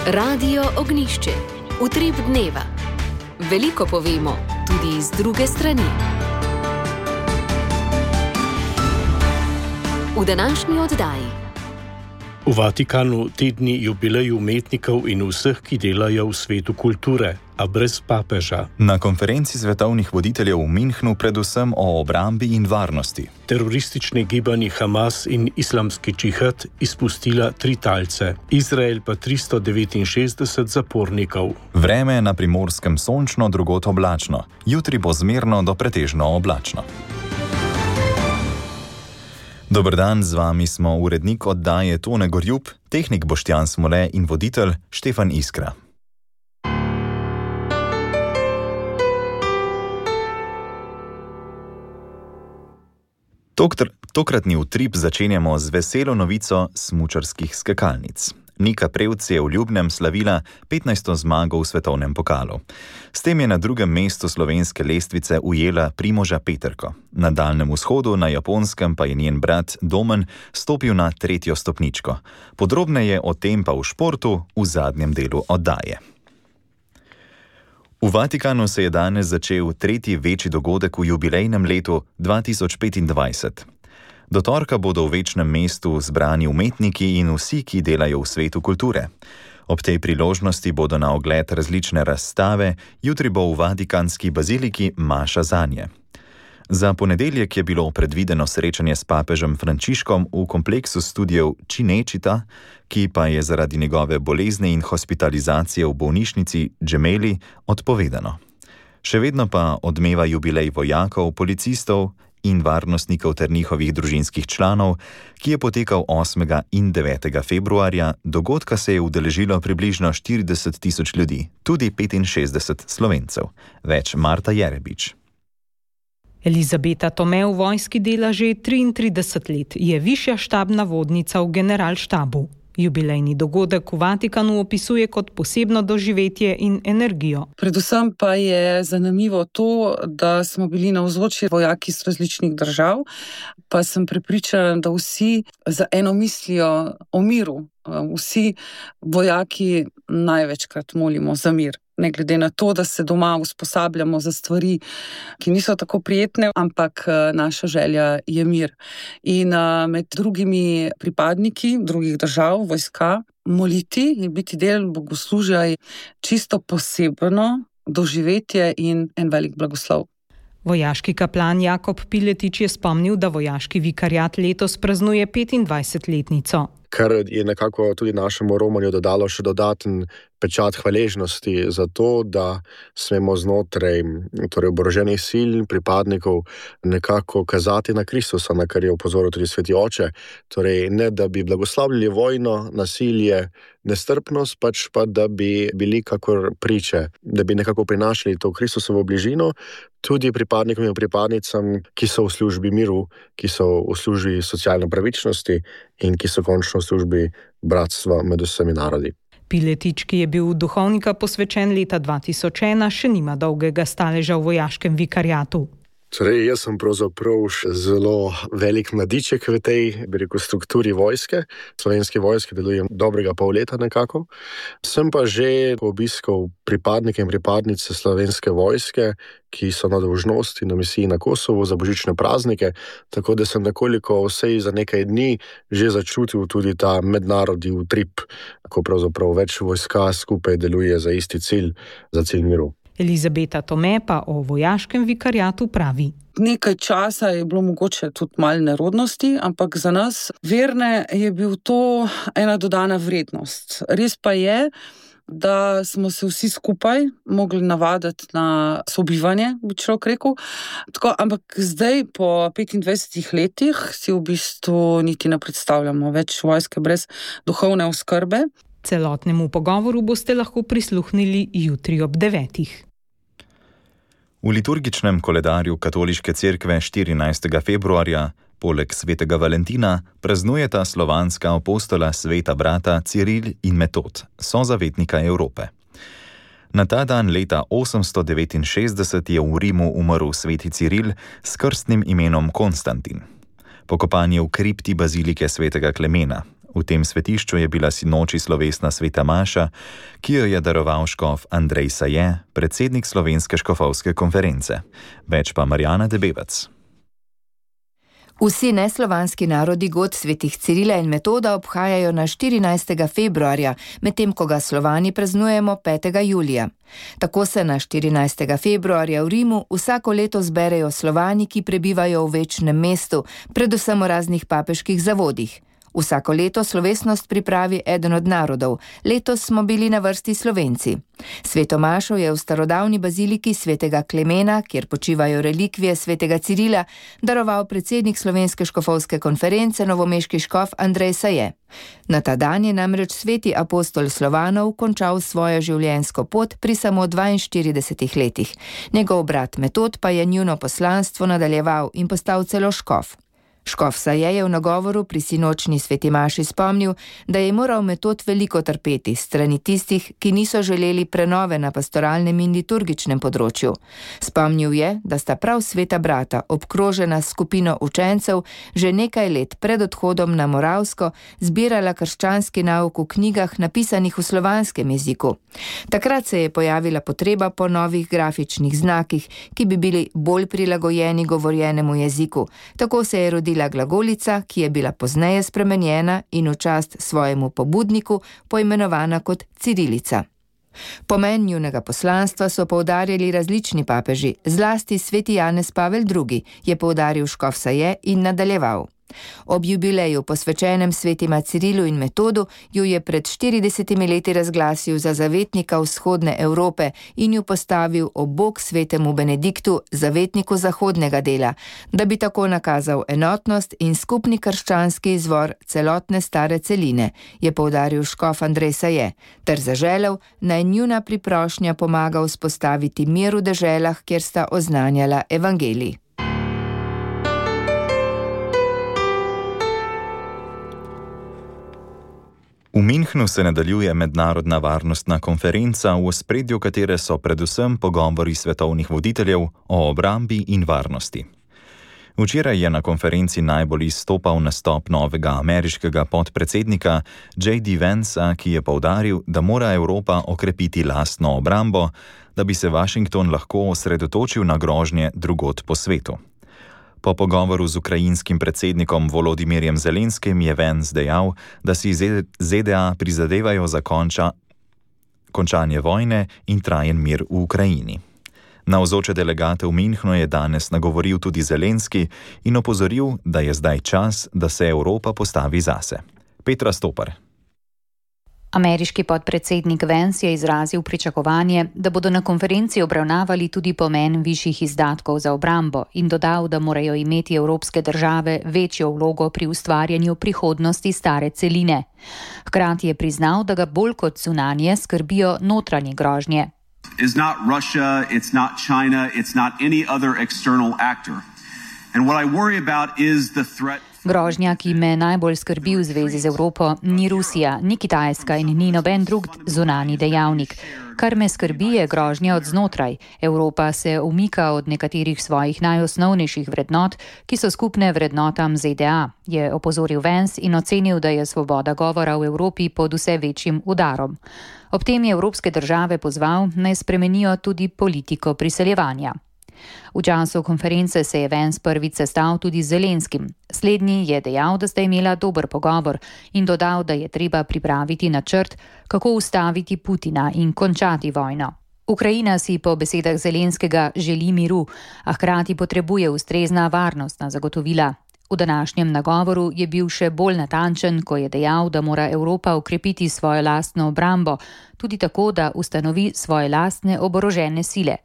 Radio Ognjišče. Utrip dneva. Veliko povemo, tudi iz druge strani. V današnji oddaji. V Vatikanu tedni jubileju umetnikov in vseh, ki delajo v svetu kulture, a brez papeža. Na konferenci svetovnih voditeljev v Münchnu predvsem o obrambi in varnosti. Teroristični gibanji Hamas in islamski džihad izpustila 3 talce, Izrael pa 369 zapornikov. Vreme na Primorskem sončno, drugod oblačno. Jutri bo zmerno do pretežno oblačno. Dober dan, z vami smo urednik oddaje Tone Gorjup, tehnik Boštjan Smole in voditelj Štefan Iskra. Tokratni utrip začenjamo z veselo novico smučarskih skakalnic. Nika Prevc je v Ljubnem slavila 15. zmago v svetovnem pokalu. S tem je na drugem mestu slovenske lestvice ujela Primoža Peterko. Na Daljnem vzhodu, na Japonskem, pa je njen brat Domen stopil na 3. stopničko. Podrobneje o tem pa v športu v zadnjem delu oddaje. V Vatikanu se je danes začel 3. večji dogodek v jubilejnem letu 2025. Do torka bodo v večnem mestu zbrani umetniki in vsi, ki delajo v svetu kulture. Ob tej priložnosti bodo na ogled različne razstave, jutri bo v Vatikanski baziliki maša zanje. Za ponedeljek je bilo predvideno srečanje s papežem Frančiškom v kompleksu studijev Cinecittà, ki pa je zaradi njegove bolezni in hospitalizacije v bolnišnici Gemelli odpovedano. Še vedno pa odmeva jubilej vojakov, policistov in varnostnikov ter njihovih družinskih članov, ki je potekal 8. in 9. februarja. Dogodka se je udeležilo približno 40 tisoč ljudi, tudi 65 Slovencev. Več Marta Jerebič. Elizabeta Tome v vojski dela že 33 let, je višja štabna vodnica v generalštabu. Jubilejni dogodek v Vatikanu opisuje kot posebno doživetje in energijo. Predvsem pa je zanimivo to, da smo bili navzoči vojaki iz različnih držav, pa sem prepričana, da vsi za eno mislijo o miru. Vsi vojaki največkrat molimo za mir. Ne glede na to, da se doma usposabljamo za stvari, ki niso tako prijetne, ampak naša želja je mir. In med drugimi pripadniki drugih držav, vojska, moliti in biti del bogoslužja je čisto posebno doživetje in en velik blagoslov. Vojaški kaplan Jakob Piletič je spomnil, da vojaški vikariat letos praznuje 25-letnico. Kar je nekako tudi našemu romanju dodalo še dodaten pečat hvaležnosti za to, da smemo znotraj oboroženih sil in pripadnikov nekako kazati na Kristusa, na kar je opozoril tudi sveti oče. Torej, ne da bi blagoslavljali vojno, nasilje, nestrpnost, pač pa da bi bili kakor priče, da bi nekako prinašali to Kristusovo bližino tudi pripadnikom in pripadnicam, ki so v službi miru, ki so v službi socialne pravičnosti in ki so končno v službi bratstva med vsemi narodi. Piletič, ki je bil duhovnika posvečen leta 2001, še nima dolgega staleža v vojaškem vikariatu. Torej, jaz sem pravzaprav zelo velik mladiček v tej, strukturi vojske. Slovenske vojske delujem dobrega pol leta nekako. Sem pa že obiskal pripadnike in pripadnice slovenske vojske, ki so na dolžnosti na misiji na Kosovo za božične praznike, tako da sem nekoliko vsej za nekaj dni že začutil tudi ta mednarodni utrip, ko pravzaprav več vojska skupaj deluje za isti cilj, za cilj miru. Elizabeta Tome pa o vojaškem vikariatu pravi. Nekaj časa je bilo mogoče tudi malo nerodnosti, ampak za nas verne je bil to ena dodana vrednost. Res pa je, da smo se vsi skupaj mogli navaditi na sobivanje, bi človek rekel. Tako, ampak zdaj, po 25 letih, si v bistvu niti ne predstavljamo več vojske brez duhovne oskrbe. Celotnemu pogovoru boste lahko prisluhnili jutri ob 9. V liturgičnem koledarju Katoliške cerkve 14. februarja poleg svetega Valentina praznujeta slovanska apostola sveta brata Ciril in Metod, sozavetnika Evrope. Na ta dan leta 869 je v Rimu umrl sveti Ciril s krstnim imenom Konstantin. Pokopan je v kripti bazilike svetega Klemena. V tem svetišču je bila sinoči slovesna sveta maša, ki jo je daroval škof Andrej Saje, predsednik Slovenske škofovske konference. Več pa Marjana Debevac. Vsi neslovanski narodi god svetih Cirila in Metoda obhajajo na 14. februarja, medtem ko ga Slovani praznujemo 5. julija. Tako se na 14. februarja v Rimu vsako leto zberejo Slovani, ki prebivajo v večnem mestu, predvsem v raznih papeških zavodih. Vsako leto slovesnost pripravi eden od narodov, letos smo bili na vrsti Slovenci. Sveto mašo je v starodavni baziliki svetega Klemena, kjer počivajo relikvije svetega Cirila, daroval predsednik Slovenske škofovske konference novomeški škof Andrej Saje. Na ta dan je namreč sveti apostol Slovanov končal svojo življenjsko pot pri samo 42 letih. Njegov brat Metod pa je njuno poslanstvo nadaljeval in postal celo škof. Škof Saje je v nagovoru pri sinočni sveti maši spomnil, da je moral Metod veliko trpeti strani tistih, ki niso želeli prenove na pastoralnem in liturgičnem področju. Spomnil je, da sta prav sveta brata, obkrožena s skupino učencev, že nekaj let pred odhodom na Moravsko zbirala krščanski nauk v knjigah napisanih v slovanskem jeziku. Takrat se je pojavila potreba po novih grafičnih znakih, ki bi bili bolj prilagojeni govorjenemu jeziku. Tako se je rodila glagolica, ki je bila pozneje spremenjena in v čast svojemu pobudniku poimenovana kot cirilica. Pomen njunega poslanstva so poudarjali različni papeži, zlasti sveti Janez Pavel II, je poudaril škof Saje in nadaljeval. Ob jubileju posvečenem svetima Cirilu in Metodu ju je pred 40 leti razglasil za zavetnika vzhodne Evrope in ju postavil ob bok svetemu Benediktu, zavetniku zahodnega dela, da bi tako nakazal enotnost in skupni krščanski izvor celotne stare celine, je poudaril škof Andrej Saje, ter zaželel, naj njuna priprošnja pomaga vzpostaviti mir v deželah, kjer sta oznanjala evangelij. V Münchnu se nadaljuje mednarodna varnostna konferenca, v ospredju katere so predvsem pogovori svetovnih voditeljev o obrambi in varnosti. Včeraj je na konferenci najbolj izstopal nastop novega ameriškega podpredsednika J.D. Vancea, ki je poudaril, da mora Evropa okrepiti lastno obrambo, da bi se Washington lahko osredotočil na grožnje drugod po svetu. Po pogovoru z ukrajinskim predsednikom Volodimirjem Zelenskim je Vance dejal, da si ZDA prizadevajo za končanje vojne in trajen mir v Ukrajini. Navzoče delegate v Münchnu je danes nagovoril tudi Zelenski in opozoril, da je zdaj čas, da se Evropa postavi zase. Petra Stopar. Ameriški podpredsednik Vance je izrazil pričakovanje, da bodo na konferenci obravnavali tudi pomen višjih izdatkov za obrambo in dodal, da morajo imeti evropske države večjo vlogo pri ustvarjanju prihodnosti stare celine. Hkrati je priznal, da ga bolj kot zunanje skrbijo notranje grožnje. It's not Russia, it's not China, it's not any other external actor. And what I worry about is the threat. Grožnja, ki me najbolj skrbi v zvezi z Evropo, ni Rusija, ni Kitajska in ni noben drug zunanji dejavnik. Kar me skrbi je grožnja od znotraj. Evropa se umika od nekaterih svojih najosnovnejših vrednot, ki so skupne vrednotam ZDA, je opozoril Vance in ocenil, da je svoboda govora v Evropi pod vse večjim udarom. Ob tem je evropske države pozval, naj spremenijo tudi politiko priseljevanja. V času konference se je Vance prvič sestal tudi z Zelenskim. Slednji je dejal, da sta imela dober pogovor in dodal, da je treba pripraviti načrt, kako ustaviti Putina in končati vojno. Ukrajina si po besedah Zelenskega želi miru, a hkrati potrebuje ustrezna varnostna zagotovila. V današnjem nagovoru je bil še bolj natančen, ko je dejal, da mora Evropa ukrepiti svojo lastno obrambo, tudi tako, da ustanovi svoje lastne oborožene sile.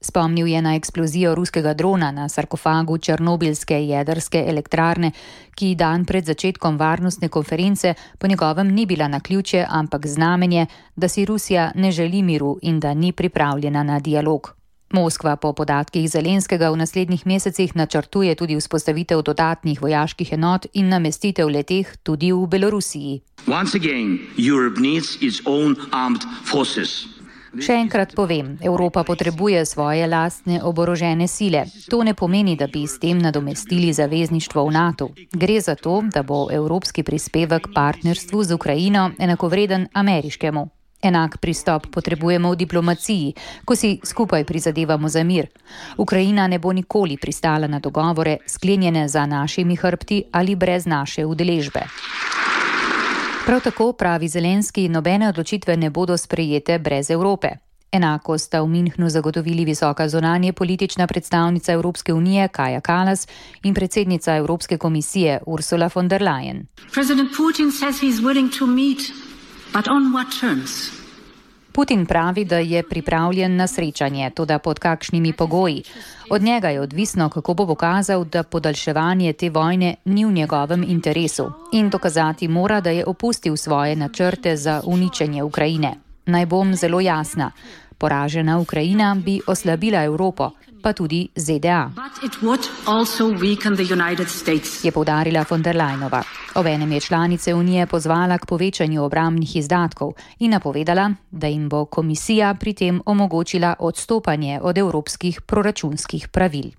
Spomnil je na eksplozijo ruskega drona na sarkofagu černobilske jedrske elektrarne, ki dan pred začetkom varnostne konference po njegovem ni bila naključje, ampak znamenje, da si Rusija ne želi miru in da ni pripravljena na dialog. Moskva po podatkih Zelenskega v naslednjih mesecih načrtuje tudi vzpostavitev dodatnih vojaških enot in namestitev leteh tudi v Belorusiji. Once again, Europe needs its own armed forces. Še enkrat povem, Evropa potrebuje svoje lastne oborožene sile. To ne pomeni, da bi s tem nadomestili zavezništvo v NATO. Gre za to, da bo evropski prispevek partnerstvu z Ukrajino enakovreden ameriškemu. Enak pristop potrebujemo v diplomaciji, ko si skupaj prizadevamo za mir. Ukrajina ne bo nikoli pristala na dogovore, sklenjene za našimi hrbti ali brez naše udeležbe. Prav tako, pravi Zelenski, nobene odločitve ne bodo sprejete brez Evrope. Enako sta v Münchnu zagotovili visoka zunanje politična predstavnica Evropske unije Kaja Kallas in predsednica Evropske komisije Ursula von der Leyen. President Putin says he's willing to meet. But on what terms? Putin pravi, da je pripravljen na srečanje, toda pod kakšnimi pogoji. Od njega je odvisno, kako bo pokazal, da podaljševanje te vojne ni v njegovem interesu in dokazati mora, da je opustil svoje načrte za uničenje Ukrajine. Naj bom zelo jasna. Poražena Ukrajina bi oslabila Evropo, pa tudi ZDA, je poudarila von der Leyenova. Obenem je članice Unije pozvala k povečanju obrambnih izdatkov in napovedala, da jim bo komisija pri tem omogočila odstopanje od evropskih proračunskih pravil.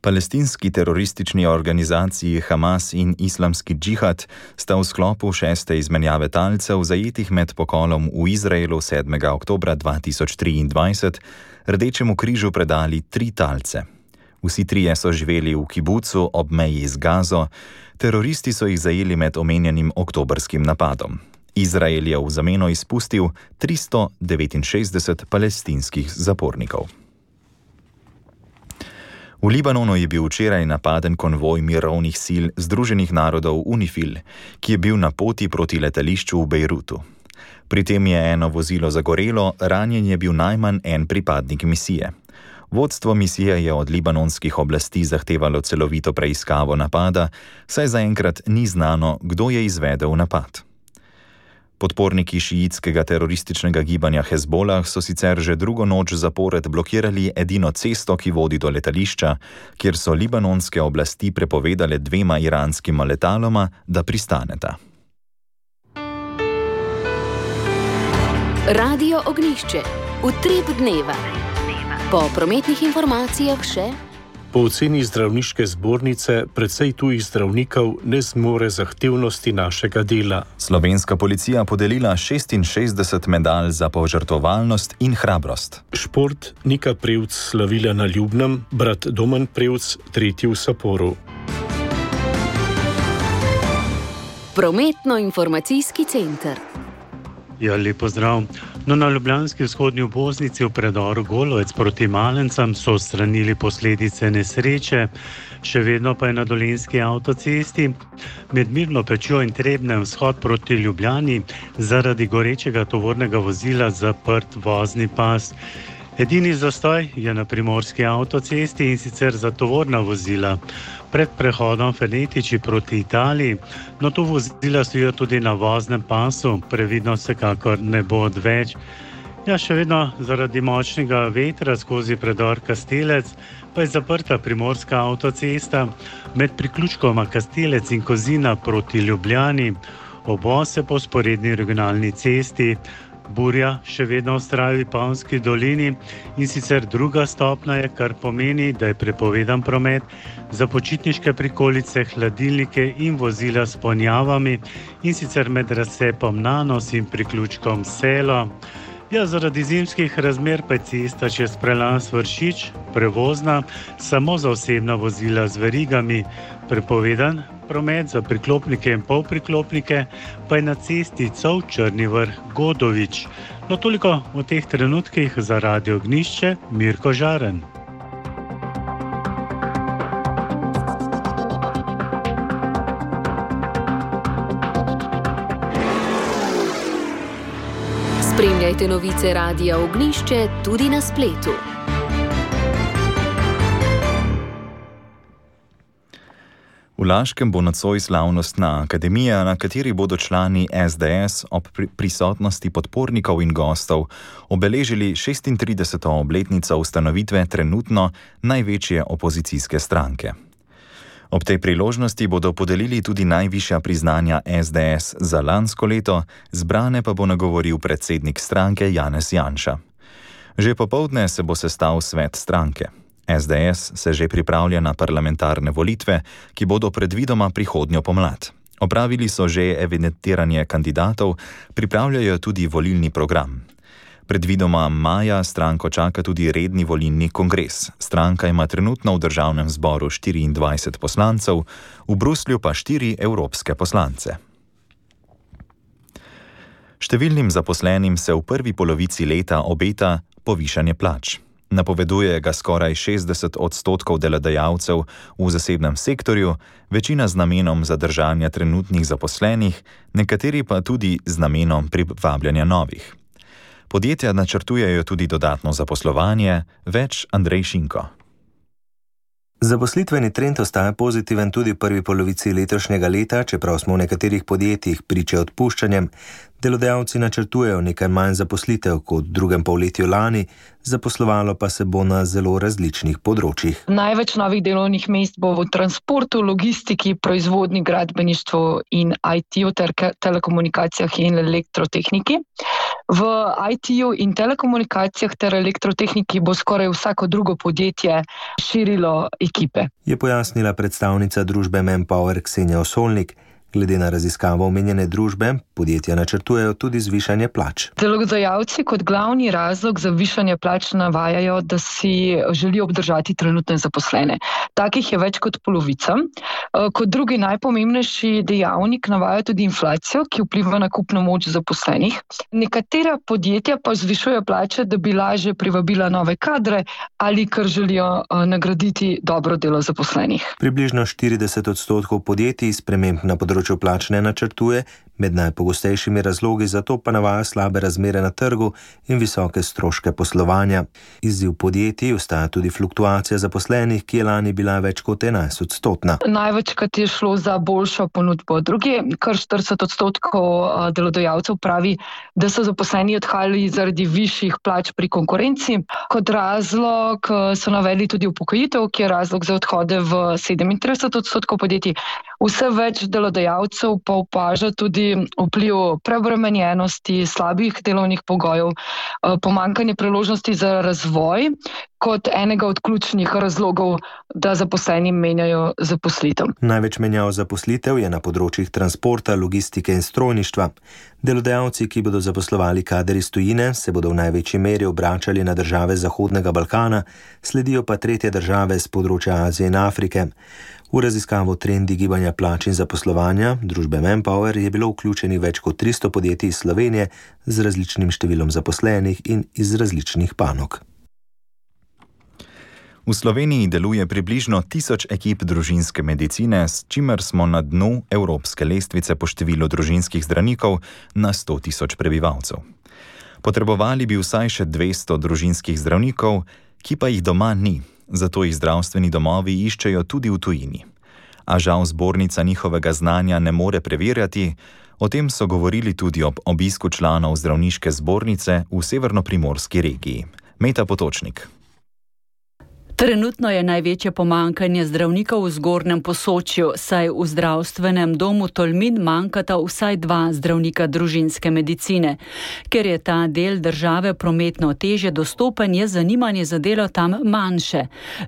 Palestinski teroristični organizaciji Hamas in Islamski džihad sta v sklopu 6. izmenjave talcev zajetih med pokolom v Izraelu 7. oktobra 2023 Rdečemu križu predali 3 talce. Vsi trije so živeli v kibucu ob meji z Gazo, teroristi so jih zajeli med omenjenim oktobrskim napadom. Izrael je v zameno izpustil 369 palestinskih zapornikov. V Libanonu je bil včeraj napaden konvoj mirovnih sil Združenih narodov UNIFIL, ki je bil na poti proti letališču v Bejrutu. Pri tem je eno vozilo zagorelo, ranjen je bil najmanj en pripadnik misije. Vodstvo misije je od libanonskih oblasti zahtevalo celovito preiskavo napada, saj zaenkrat ni znano, kdo je izvedel napad. Podporniki šiitskega terorističnega gibanja Hezbolah so sicer že drugo noč zapored blokirali edino cesto, ki vodi do letališča, kjer so libanonske oblasti prepovedale 2 iranskima letaloma, da pristaneta. Radio Ognjišče. Utrip dneva. Po prometnih informacijah še. Po oceni zdravniške zbornice precej tujih zdravnikov ne zmore zahtevnosti našega dela. Slovenska policija podelila 66 medalj za požrtvovalnost in hrabrost. Šport Nika Prevc slavila na Ljubnem, brat Domen Prevc tretji v Saporu. Prometno-informacijski center. Ja, lep pozdrav. Na ljubljanski vzhodni obvoznici v predoru Golovec proti Malencam so odstranili posledice nesreče, še vedno pa je na dolenjski avtocesti med Mirno Pečjo in Trebnjem vzhod proti Ljubljani zaradi gorečega tovornega vozila zaprt vozni pas. Edini zastoj je na primorski avtocesti in sicer za tovorna vozila. Pred prehodom Fenetiči proti Italiji, no tu vozila stojijo tudi na voznem pasu, previdnost vsekakor ne bo odveč. Ja, še vedno zaradi močnega vetra skozi predor Kastelec pa je zaprta primorska avtocesta med priključkoma Kastelec in Kozina proti Ljubljani, obvoz po vzporedni regionalni cesti. Burja še vedno vztraja v Vipavski dolini in sicer 2. stopnja je, kar pomeni, da je prepovedan promet za počitniške prikolice, hladilnike in vozila s ponjavami in sicer med razcepom Nanos in priključkom Selo. Ja, zaradi zimskih razmer pa je cesta čez prelaz Vršič prevozna samo za osebna vozila z verigami. Prepovedan promet za priklopnike in polpriklopnike pa je na cesti Cov-Črni Vrh Godovič. No, toliko v teh trenutkih za Radio Ognjišče, Mirko Žaren. Spremljajte novice Radia Ognjišče tudi na spletu. V Laškem bo nocoj slavnostna akademija, na kateri bodo člani SDS ob prisotnosti podpornikov in gostov obeležili 36. obletnico ustanovitve trenutno največje opozicijske stranke. Ob tej priložnosti bodo podelili tudi najvišja priznanja SDS za lansko leto, zbrane pa bo nagovoril predsednik stranke Janez Janša. Že popoldne se bo sestal svet stranke. SDS se že pripravlja na parlamentarne volitve, ki bodo predvidoma prihodnjo pomlad. Opravili so že evidentiranje kandidatov, pripravljajo tudi volilni program. Predvidoma maja stranko čaka tudi redni volilni kongres. Stranka ima trenutno v državnem zboru 24 poslancev, v Bruslju pa 4 evropske poslance. Številnim zaposlenim se v prvi polovici leta obeta povišanje plač. Napoveduje ga skoraj 60% delodajalcev v zasebnem sektorju, večina z namenom zadržanja trenutnih zaposlenih, nekateri pa tudi z namenom privabljanja novih. Podjetja načrtujejo tudi dodatno zaposlovanje, več Andrej Šinko. Zaposlitveni trend ostaja pozitiven tudi v prvi polovici letošnjega leta, čeprav smo v nekaterih podjetjih priče odpuščanjem. Delodajalci načrtujejo nekaj manj zaposlitev kot v drugem polletju lani, zaposlovalo pa se bo na zelo različnih področjih. Največ novih delovnih mest bo v transportu, logistiki, proizvodnji, gradbeništvu in IT-ju ter telekomunikacijah in elektrotehniki. V IT-ju in telekomunikacijah ter elektrotehniki bo skoraj vsako drugo podjetje širilo ekipe. Je pojasnila predstavnica družbe Manpower Ksenija Osolnik. Glede na raziskavo omenjene družbe, podjetja načrtujejo tudi zvišanje plač. Delodajalci kot glavni razlog za višanje plač navajajo, da si želijo obdržati trenutne zaposlene. Takih je več kot polovica. Kot drugi najpomembnejši dejavnik navajajo tudi inflacijo, ki vpliva na kupno moč zaposlenih. Nekatera podjetja pa zvišujejo plače, da bi lažje privabila nove kadre ali ker želijo nagraditi dobro delo zaposlenih. Približno 40% podjetij sprememb na področju plač ne načrtuje, med najpogostejšimi razlogi za to pa navaja slabe razmere na trgu in visoke stroške poslovanja. Izziv podjetij ostaja tudi fluktuacija zaposlenih, ki je lani bila več kot 11%. Največkrat je šlo za boljšo ponudbo druge, kar 40% delodajalcev pravi, da so zaposleni odhajali zaradi višjih plač pri konkurenci. Kot razlog so navedli tudi upokojitev, ki je razlog za odhode v 37% podjetij. Vse več delodajalcev pa opaža tudi vpliv preobremenjenosti, slabih delovnih pogojev, pomanjkanje priložnosti za razvoj kot enega od ključnih razlogov, da zaposleni menjajo zaposlitev. Največ menjav zaposlitev je na področjih transporta, logistike in strojništva. Delodajalci, ki bodo zaposlovali kader iz tujine, se bodo v največji meri obračali na države Zahodnega Balkana, sledijo pa tretje države z področja Azije in Afrike. V raziskavo trendi gibanja plač in zaposlovanja družbe Manpower je bilo vključeni več kot 300 podjetij iz Slovenije z različnim številom zaposlenih in iz različnih panog. V Sloveniji deluje približno 1000 ekip družinske medicine, s čimer smo na dnu evropske lestvice po številu družinskih zdravnikov na 100 000 prebivalcev. Potrebovali bi vsaj še 200 družinskih zdravnikov, ki pa jih doma ni, zato jih zdravstveni domovi iščejo tudi v tujini. A žal zbornica njihovega znanja ne more preverjati, o tem so govorili tudi ob obisku članov zdravniške zbornice v severnoprimorski regiji. Meta Potočnik. Trenutno je največje pomanjkanje zdravnikov v Zgornjem Posočju, saj v zdravstvenem domu Tolmin manjkata vsaj 2 zdravnika družinske medicine. Ker je ta del države prometno težje dostopen, je zanimanje za delo tam manjše.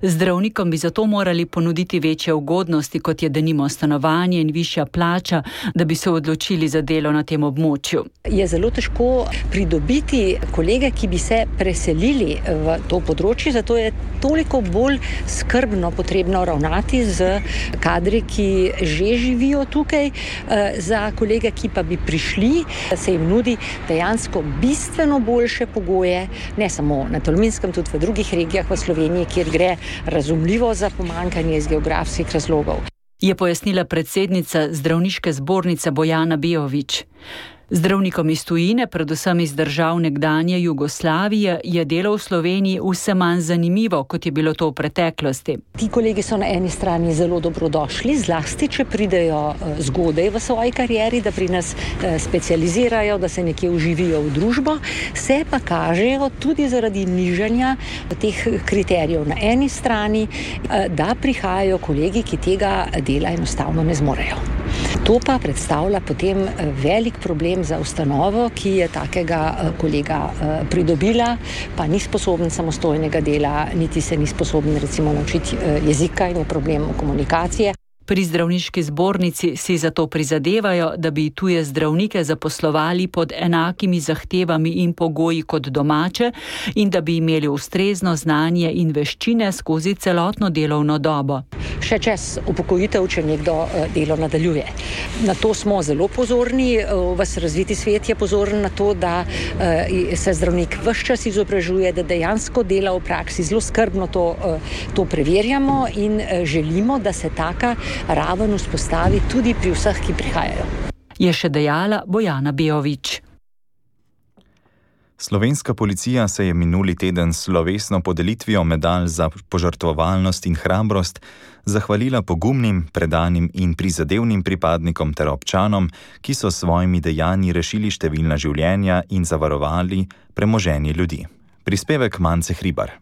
Zdravnikom bi zato morali ponuditi večje ugodnosti, kot je denimo stanovanje in višja plača, da bi se odločili za delo na tem območju. Je zelo težko pridobiti kolege, ki bi se preselili v to področje, zato je toliko bolj skrbno potrebno ravnati z kadri, ki že živijo tukaj. Za kolege, ki pa bi prišli, se jim nudi dejansko bistveno boljše pogoje, ne samo na Tolminskem, tudi v drugih regijah v Sloveniji, kjer gre razumljivo za pomanjkanje iz geografskih razlogov. Je pojasnila predsednica zdravniške zbornice Bojana Bijović. Zdravnikom iz tujine, predvsem iz držav nekdanje Jugoslavije, je delo v Sloveniji vse manj zanimivo, kot je bilo to v preteklosti. Ti kolegi so na eni strani zelo dobrodošli, zlasti, če pridejo zgodaj v svoji karieri, da pri nas specializirajo, da se nekje vživijo v družbo, se pa kažejo tudi zaradi nižanja teh kriterijev na eni strani, da prihajajo kolegi, ki tega dela enostavno ne zmorejo. To pa predstavlja potem velik problem za ustanovo, ki je takega kolega pridobila, pa ni sposoben samostojnega dela, niti se ni sposoben recimo naučiti jezika in je problem komunikacije. Pri zdravniški zbornici si zato prizadevajo, da bi tuje zdravnike zaposlovali pod enakimi zahtevami in pogoji kot domače in da bi imeli ustrezno znanje in veščine skozi celotno delovno dobo. Še čez upokojitev, če nekdo delo nadaljuje. Na to smo zelo pozorni, ves razviti svet je pozoren na to, da se zdravnik ves čas izobražuje, da dejansko dela v praksi, zelo skrbno to preverjamo in želimo, da se taka raven vzpostavi tudi pri vseh, ki prihajajo. Je še dejala Bojana Bejović. Slovenska policija se je minuli teden s slovesno podelitvijo medalj za požrtvovalnost in hrabrost zahvalila pogumnim, predanim in prizadevnim pripadnikom ter občanom, ki so s svojimi dejanji rešili številna življenja in zavarovali premoženje ljudi. Prispevek Mance Hribar.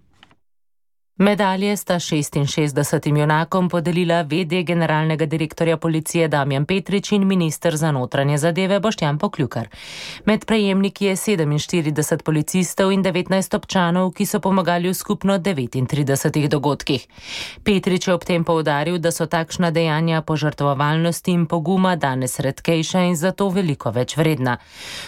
Medalje sta 66 junakom podelila v.d. generalnega direktorja policije Damjan Petrič in minister za notranje zadeve Boštjan Poklukar. Med prejemniki je 47 policistov in 19 občanov, ki so pomagali v skupno 39 dogodkih. Petrič je ob tem poudaril, da so takšna dejanja požrtvovalnosti in poguma danes redkejša in zato veliko več vredna.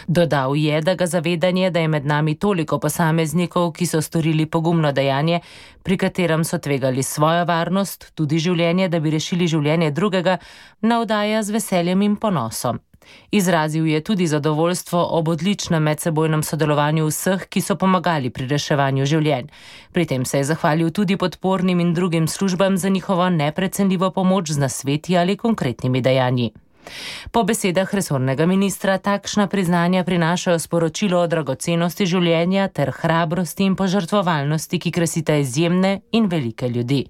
Dodal je, da ga zavedanje, da je med nami toliko posameznikov, ki so storili pogumno dejanje, pri katerem so tvegali svojo varnost, tudi življenje, da bi rešili življenje drugega, navdaja z veseljem in ponosom. Izrazil je tudi zadovoljstvo ob odličnem medsebojnem sodelovanju vseh, ki so pomagali pri reševanju življenj. Pri tem se je zahvalil tudi podpornim in drugim službam za njihovo neprecenljivo pomoč z nasveti ali konkretnimi dejanji. Po besedah resornega ministra takšna priznanja prinašajo sporočilo o dragocenosti življenja ter hrabrosti in požrtvovalnosti, ki krasita izjemne in velike ljudi.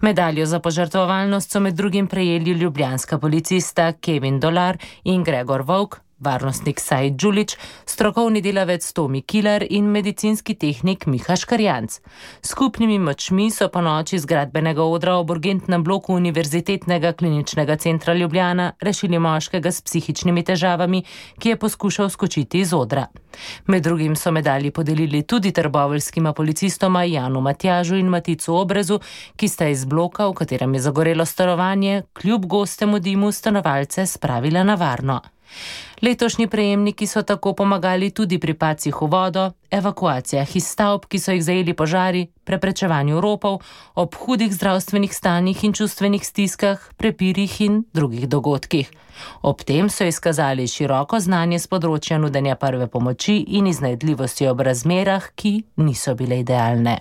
Medaljo za požrtvovalnost so med drugim prejeli ljubljanska policista Kevin Dolar in Gregor Volk, varnostnik Said Đulić, strokovni delavec Tomi Kilar in medicinski tehnik Miha Škarjanc. Skupnimi močmi so po noči z gradbenega odra ob urgentnem bloku Univerzitetnega kliničnega centra Ljubljana rešili moškega s psihičnimi težavami, ki je poskušal skočiti iz odra. Med drugim so medalji podelili tudi trboveljskima policistoma Janu Matjažu in Maticu Obrezu, ki sta iz bloka, v katerem je zagorelo stanovanje, kljub gostemu dimu stanovalce spravila na varno. Letošnji prejemniki so tako pomagali tudi pri padcih v vodo, evakuacijah iz stavb, ki so jih zajeli požari, preprečevanju ropov, ob hudih zdravstvenih stanjih in čustvenih stiskah, prepirih in drugih dogodkih. Ob tem so izkazali široko znanje z področja nudenja prve pomoči in iznajdljivosti ob razmerah, ki niso bile idealne.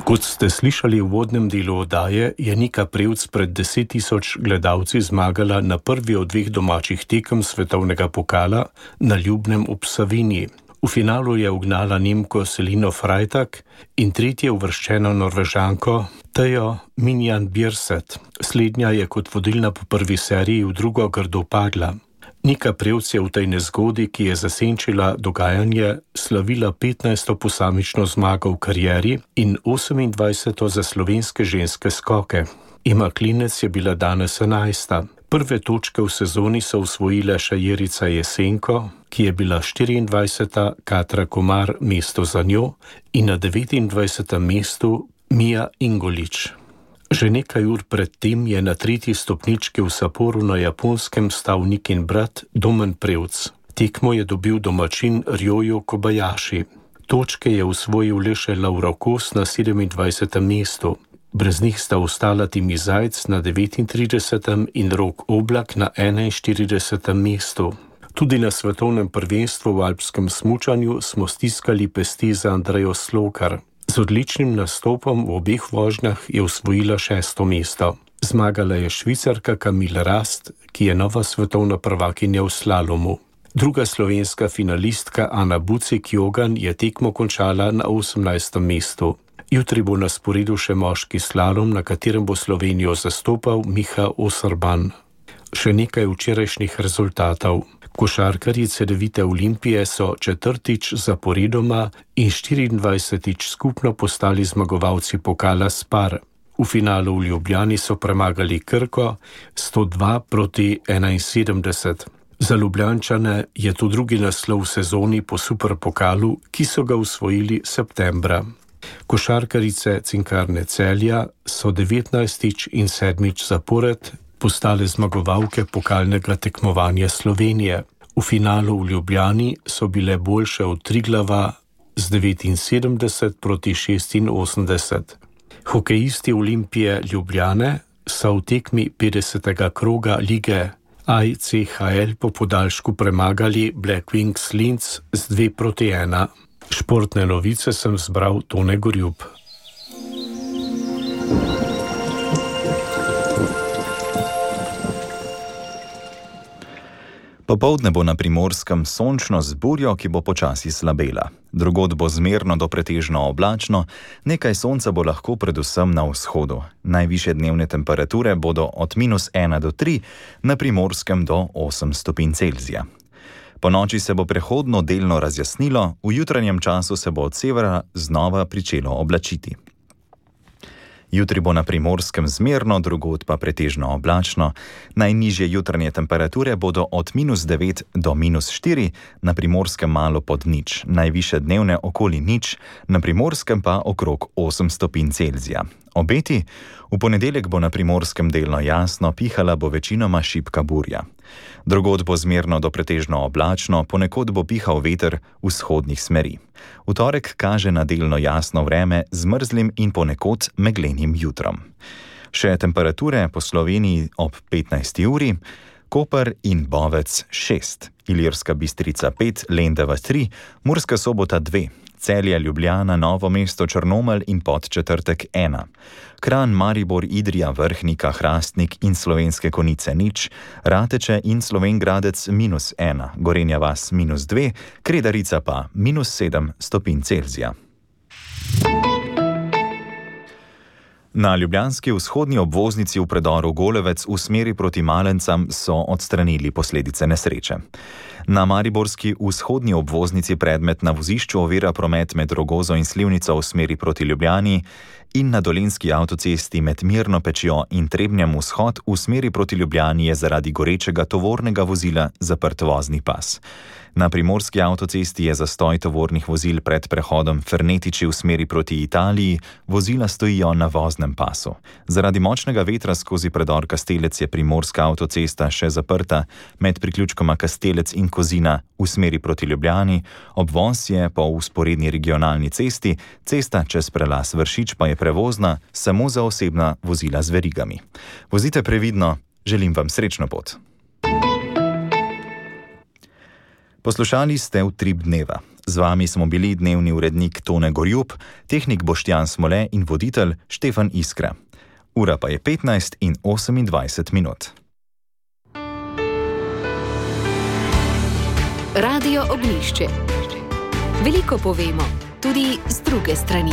Kot ste slišali v uvodnem delu oddaje, je Nika Prevc pred 10 000 gledalci zmagala na prvi od dveh domačih tekem svetovnega pokala na Ljubnem ob Savinji. V finalu je ugnala Nemko Selino Freitag in tretje uvrščeno Norvežanko Tejo Minjan Bjerset. Slednja je kot vodilna po prvi seriji v drugo grdo padla. Nika Prevc je v tej nezgodi, ki je zasenčila dogajanje, slavila 15. posamično zmago v karieri in 28. za slovenske ženske skoke. Ema Klinec je bila danes 11. Prve točke v sezoni so osvojile še Jerica Jesenko, ki je bila 24. Katra Komar mesto za njo in na 29. mestu Mija Ingolič. Že nekaj ur pred tem je na 3. stopnički v Sapporu na Japonskem stal Nikin brat Domen Prevc. Tekmo je dobil domačin Ryoyo Kobayashi. Točke je osvojil le še Lauro Kos na 27. mestu. Brez njih sta ostala Timi Zajc na 39. in Rok Oblak na 41. mestu. Tudi na svetovnem prvenstvu v alpskem smučanju smo stiskali pesti za Andrejo Slokar. Z odličnim nastopom v obeh vožnjah je osvojila 6. mesto. Zmagala je Švicarka Camille Rast, ki je nova svetovna prvakinja v slalomu. Druga slovenska finalistka Ana Bucek-Jogan je tekmo končala na 18. mestu. Jutri bo na sporedu še moški slalom, na katerem bo Slovenijo zastopal Miha Osorban. Še nekaj včerajšnjih rezultatov. Košarkarji Cedevite Olimpije so 4. zaporedoma in 24. skupno postali zmagovalci pokala Spar. V finalu v Ljubljani so premagali Krko 102-71. Za Ljubljančane je to drugi naslov v sezoni po superpokalu, ki so ga osvojili septembra. Košarkarice Cinkarne Celja so 19. in 7. zapored postale zmagovalke pokalnega tekmovanja Slovenije. V finalu v Ljubljani so bile boljše od Triglava z 79-86. Hokejisti Olimpije Ljubljane so v tekmi 50. kroga lige ICHL po podaljšku premagali Black Wings Linz z 2-1. Športne novice sem zbral Tone Gorjub. Popoldne bo na Primorskem sončno z burjo, ki bo počasi slabela. Drugod bo zmerno do pretežno oblačno, nekaj sonca bo lahko predvsem na vzhodu. Najvišje dnevne temperature bodo od -1 do 3, na Primorskem do 8 stopinj Celzija. Po noči se bo prehodno delno razjasnilo, v jutranjem času se bo od severa znova pričelo oblačiti. Jutri bo na Primorskem zmerno, drugod pa pretežno oblačno. Najnižje jutranje temperature bodo od -9 do -4, na Primorskem malo pod nič, najvišje dnevne okoli nič, na Primorskem pa okrog 8 stopinj Celzija. Obeti? V ponedeljek bo na Primorskem delno jasno, pihala bo večinoma šibka burja. Drugod bo zmerno do pretežno oblačno, ponekod bo pihal veter vzhodnih smeri. V torek kaže na delno jasno vreme z mrzlim in ponekod meglenim jutrom. Še temperature po Sloveniji ob 15. uri: Koper in Bovec 6, Ilirska Bistrica 5, Lendava 3, Murska Sobota 2, Celje, Ljubljana, Novo mesto, Črnomelj in Podčetrtek 1, Kranj, Maribor, Idrija, Vrhnika, Hrastnik in Slovenske Konjice 0, Rateče in Slovenj Gradec -1, Gorenja vas -2, Kredarica pa -7 stopinj Celzija. Na ljubljanski vzhodni obvoznici v predoru Golevec v smeri proti Malencam so odstranili posledice nesreče. Na mariborski vzhodni obvoznici predmet na vozišču ovira promet med Rogozo in Slivnico v smeri proti Ljubljani in na dolenjski avtocesti med Mirno Pečjo in Trebnjem vzhod v smeri proti Ljubljani je zaradi gorečega tovornega vozila zaprt vozni pas. Na primorski avtocesti je zastoj tovornih vozil pred prehodom Fernetiči v smeri proti Italiji, vozila stojijo na voznem pasu. Zaradi močnega vetra skozi predor Kastelec je primorska avtocesta še zaprta med priključkoma Kastelec in Kozina v smeri proti Ljubljani, obvoz je po vzporedni regionalni cesti, cesta čez prelaz Vršič pa je prevozna samo za osebna vozila z verigami. Vozite previdno, želim vam srečno pot. Poslušali ste Utrip dneva. Z vami smo bili dnevni urednik Tone Gorjub, tehnik Boštjan Smole in voditelj Štefan Iskra. Ura pa je 15:28. Radio Ognjišče. Veliko povemo, tudi z druge strani.